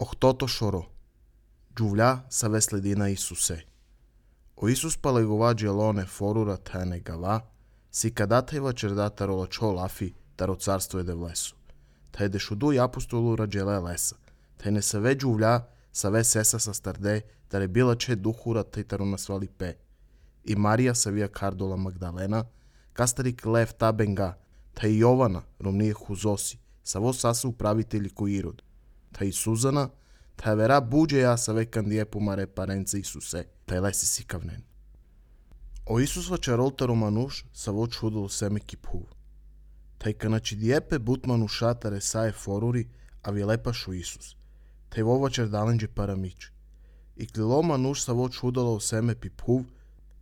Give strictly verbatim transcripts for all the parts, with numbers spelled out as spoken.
Охтото шоро. Джувля саве следи на Исусе. O Isus palegova gelone forura tane gava, si kadateva čerdata rolačo lafi taro carstvo je devlesu. Te de šudu i apostolu rađele lesa. Te ne save džuvlja, save sesa sa starde, tare bila če duhura te taro nasvali pe. I Marija savija kardola Magdalena, kastarik lev tabenga, te i Jovana, romnije huzosi, savo sasa upravitelji ko Irod. Te i Suzana, te vera buđeja save kandije pumare parence Isuse, te lesi si kavnen. O Isus vačarolta romanuš savo čudolo seme kiphuv. Te kanači djepe butmanu šatare saje foruri, a vilepašu Isus. Te vo vačardalenđe paramić. I klilo manuš savo čudolo seme piphuv,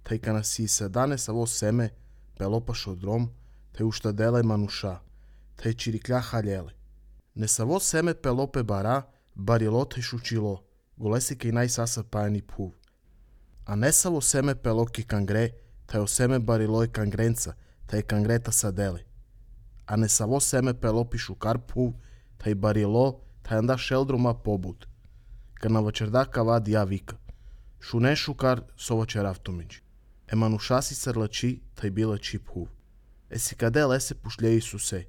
te kanasi se dane savo seme pelopašo drom, te uštadele manuša, te čiriklja haljele. Ne savo seme pelope bara, barilo te šučilo, golesi kaj najsasa pajani puv. A ne savo seme peloki kangre, te o seme bariloj kangrenca, te kangreta sadele. A ne savo seme pelopi šukar puv, te barilo, te anda šeldroma pobud. Kad na vačerdaka vadi ja vika. Šune šukar sova čeravtomić. E manušasi srlači, te bila či puv. E si kade lese pušlje Isuse.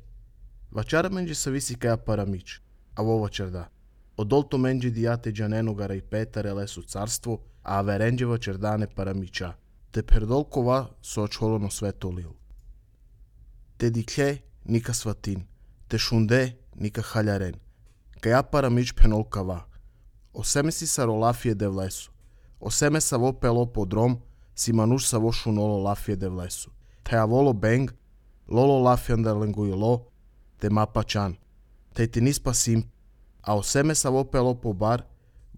Vačara menđe sa visi kaja paramić, a vo vačerda. Odolto menđe dijate džanenugara i petare lesu carstvo, a averenđeva čerdane paramića, te perdolkova so očholono sveto lil. Te diklje nika svatin, te šunde nika haljaren, kaja paramić penolkava. O seme si sa rolafije de vlesu, o seme sa vo pelo podrom, si manuš sa vo šunolo lafije de vlesu. Te avolo beng, lolo lafjanda lenguilo, te mapačan, te ti nispa sim, a o seme sa vo pelo po bar,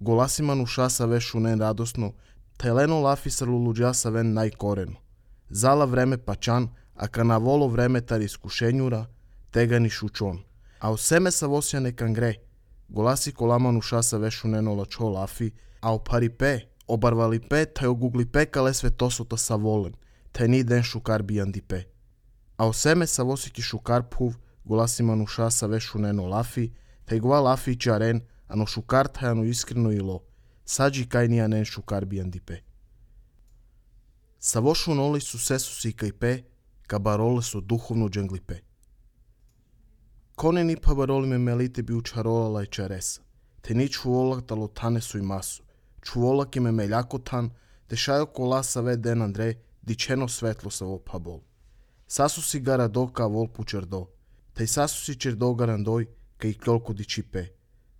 golasi manuša sa ve šunen radosno, te leno lafi sa luluđa sa ven najkoreno. Zala vreme pačan, a kana volo vreme tar iskušenjura, tega ni šučon. A o seme sa vosjane kangre, golasi kola manuša sa ve šuneno lačo lafi, a o pari pe, obarvali pe, te ogugli pe kale sve tosota sa volen, te ni den šukar bijandi pe. A o seme sa vosiki šukar puv, golasi manuša sa ve šuneno lafi, te gova lafi čaren, ano šukar tajano iskreno ilo, sađi kaj nija nen šukar bijandipe. Savo šunoli su sesusi kaj pe, ka barole su duhovno džanglipe. Kone ni pa baroli me melite bi učarolala i čaresa, te ni čuolak talo tane su i masu, čuolak ime meljako tan, te šajo kola sa ve den Andre, dičeno svetlo savo pabol. Sasu si gara do ka vol pučerdo, te sasu si čerdo garandoj, ka i klolko dičipe.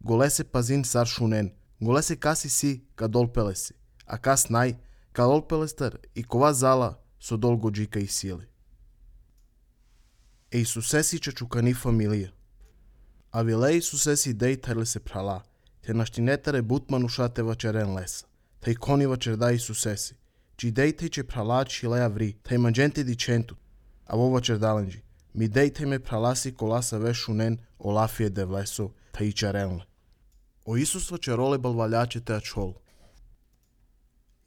Golese pazin sar šunen, golese kasi si ka dolpelesi, a kas naj, ka dolpelestar i kova zala so dolgo džika i sile. E Isuse si čačukani familija. A vile Isuse si dej tarle se prala, te naštinetare butmanuša te vačeren lesa, te i koni vačerda Isuse si, či dej te če prala čileja vri, te manđente di čentu, a vo vačerdalenđi, mi dej te me pralasi kolasa ve šunen o lafije de vleso, te i čarenle. O Isus vačerole balvaljače te ačol.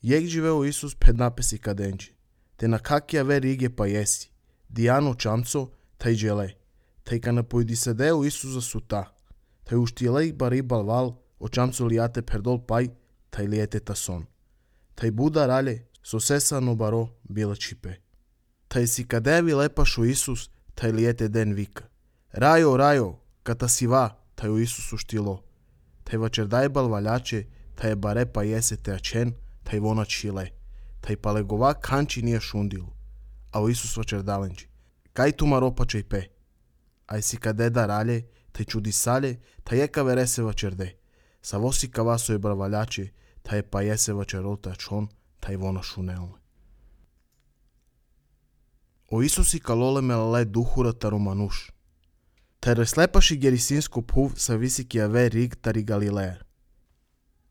Jek živeo Isus ped napesi kadenđi, te na kakija ve rige pa jesi, dijano čamco, te i džele, te i kana pojdi sedeo Isusa suta, te uštijele bari balval, o čamco lijate perdol paj, te i lijete tason. Te i buda ralje, so sesa no baro bila čipe. Te i si kadevi lepašu Isus, te i lijete den vika. Rajo, rajo, kata si va, te u Isusu štilo. Te vačerdaj balvaljače, te je bare pa jese te ačen, te vona čile, te palegova kanči nije šundilu, a o Isus vačerdalenđi. Kaj tu maropače i pe? Aj si kade da ralje, te čudi salje, te je kavere se vačerde. Sa vosi kavaso je balvaljače, te je pa jese vačerol te ačon, te vona šunelne. O Isusi kalole melale duhura taro manuš. Te slepaši gerisinsko puv sa visiki ave rig tari Galileja.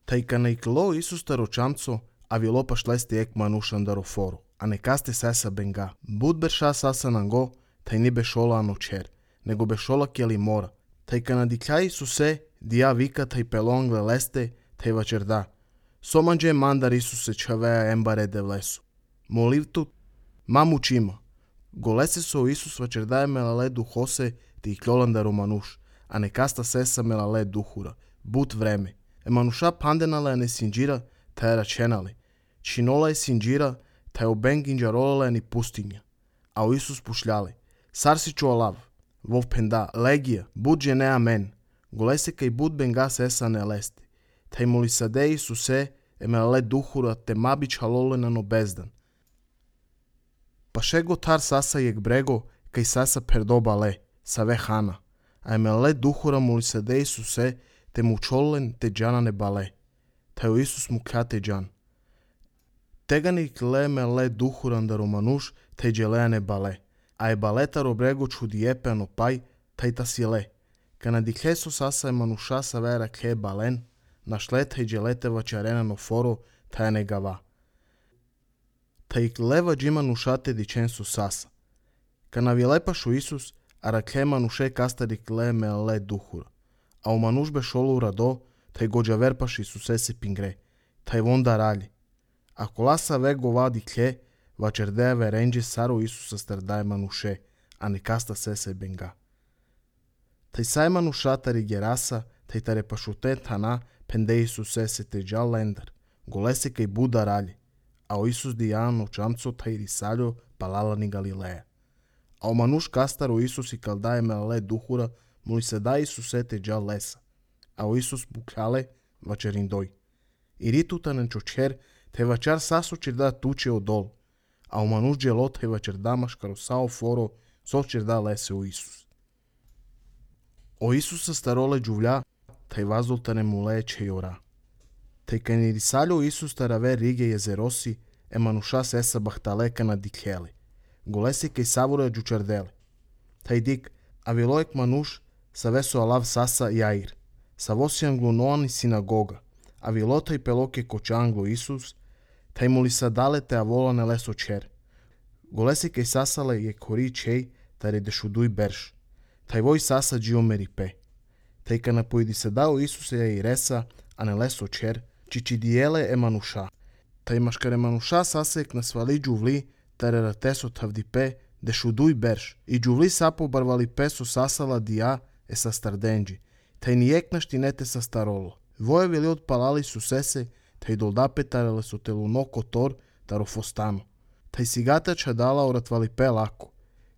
Te i kana iklo Isus taro čamco, a vilopa šlesti ek manušan daro foru, a ne kaste sasa benga. Bud berša sasa nango, te ni bešola ano čer, nego bešola kjeli mora. Te i kana dikja Isuse, dija vika te i pelongle leste, te i vačerda. Somanđe mandar Isuse čaveja embare de vlesu. Molivtu, mamu čima. Golese so Isus vačerdaje melale duhose, ti i kljolandaro manuš, a ne kasta sesa melale duhura, but vreme, e manușa pandenala e nesinđira, ta je račenali. Činola je sinđira, ta je oben ginđarolala ni pustinja. A o Isus pušljali. Sarsi čuolav, vov penda, legija, bud žene amen. Golese kaj bud benga sesa ne lesti. Ta je mulisade Isuse, emele duhura te mabić halole no bezdan. Pa šego tar sasa jek brego, kaj sasa perdoba le, sa ve hana. A emele duhura mulisade Isuse, te mučolen te džana ne bale. Ta je Isus mu kate džan. Teganik le mele duhuran da romanuš, te dželea ne bale. A e baleta robrego čudiepe ano paj, ta i ta si le. Kana dikheso sasa e manuša sa vera khe balen, našle te dželete vačarena no foro, ta je negava. Ta ik leva džima nušate dičensu sasa. Kana vilepašu Isus, a rakhe manuše kastarik le mele duhura. A u manuš be šolu rado, ta i gođa verpaš Isuse se pingre, ta i vonda ralji. A kolasa ve gova dikhe, vačerdea verenđe saro Isusa stardaje manuše, a ne kasta sese benga. Taj saj manuša tari gerasa, taj tare pašute tana, pende Isuse se te džal lendar, golese kaj buda ralji, a o Isus dijan o čamco taj risaljo palala ni Galileja. A o manuš kastaro Isus i kaldaje mele duhura, mu se da Isuse te džal lesa, a o Isus bukale vačerindoj. I ritutanen čočer, te vačar saso čirda tuče odol, a o manuš dželo te vačer damaš karosao foro, so čirda lese u Isus. O Isusa starole džuvlja, taj vazoltane mu leče jora. Taj kaj ni risaljo Isus tarave rige jezerosi, e manuša sesa bahtaleka na dikheli, golesi kaj savore džučardeli. Taj dik, a vilojek manuš, sa veso alav sasa jair, sa vosi anglunoani sinagoga, a vilota i peloke koče anglo Isus, taj mu li sa dale te avolane leso čer. Golesi kaj sasale je kori čej, tare dešuduj berš. Taj voj sasa džiomeri pe. Taj ka napojdi se dao Isuse ja i resa, a ne leso čer, čiči dijele e manuša. Taj maškare manuša sasek na svali džuvli, tare rateso tavdi pe, dešuduj berš. I džuvli sapo barvali peso sasala dija e sa stardenđi. Taj nijek naštinete sa starolo. Voje vili odpalali su sese, taj doldape tarele su telu no kotor, taro fostano. Taj sigata čadala oratvali pe lako.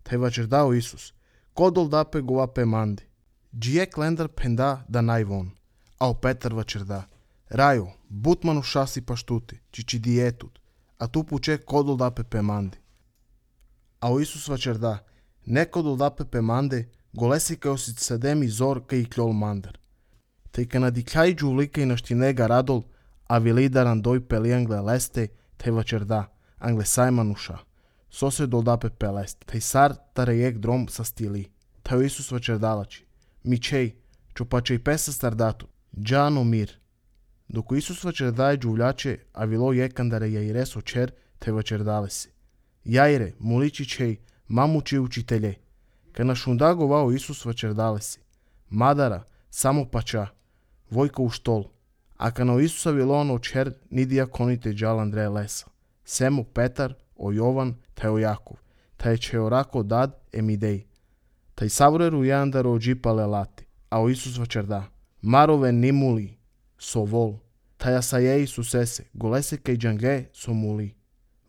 Taj vačer dao Isus. Ko doldape govape mandi. Džijek lendar penda da najvon. A o Petar vačer da. Rajo, but manuša si paštuti, čiči dijetut. A tu puče ko doldape pe mandi. A o Isus vačer da. Neko doldape pe mande, golesi kao si sademi zor kaj i kljol mandar. Taj ka nadikljaj džuvlika i naštinega radol, a vilidar andoj peli angle leste, taj vačer da. Angle saj manuša. So se doldape pelest. Taj sar tarejek drom sa stili. Taj Isus vačer dalači. Mičej, čupačej pesa stardatu. Džano mir. Dok Isus vačer daje džuvljače, a vilo jekandare jajres očer, taj vačer dale si. Jajre, muliči čej, mamuči učitelje. Ka na šunda govao Isus vačer dale si. Madara, samo pača. Vojka u štol. A ka na Isusa vilo ono očer, nidija konite džal Andreja lesa. Semo Petar, o Jovan, taj o Jakov, taj će orako dad emidej. Taj savreru jandar o džipale lati, a o Isus vačer da. Marove nimuli, so vol, taj asaje Isusese, golese kaj džange so muli.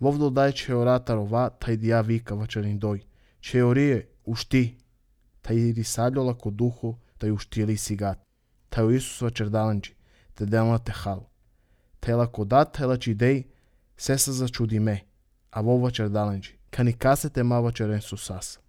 Vovdo daj će oratarova, taj dija vika vačerin doj. Će orije, ušti, taj risaljo lako duho, taj uštili sigat. Taj o Isus vačer dalanđi, te delna te hal. Taj lako dat, taj lači dej, sesa začudi me. A vo vačer dalanđi, ka ni kasete ma vačeren su sasa.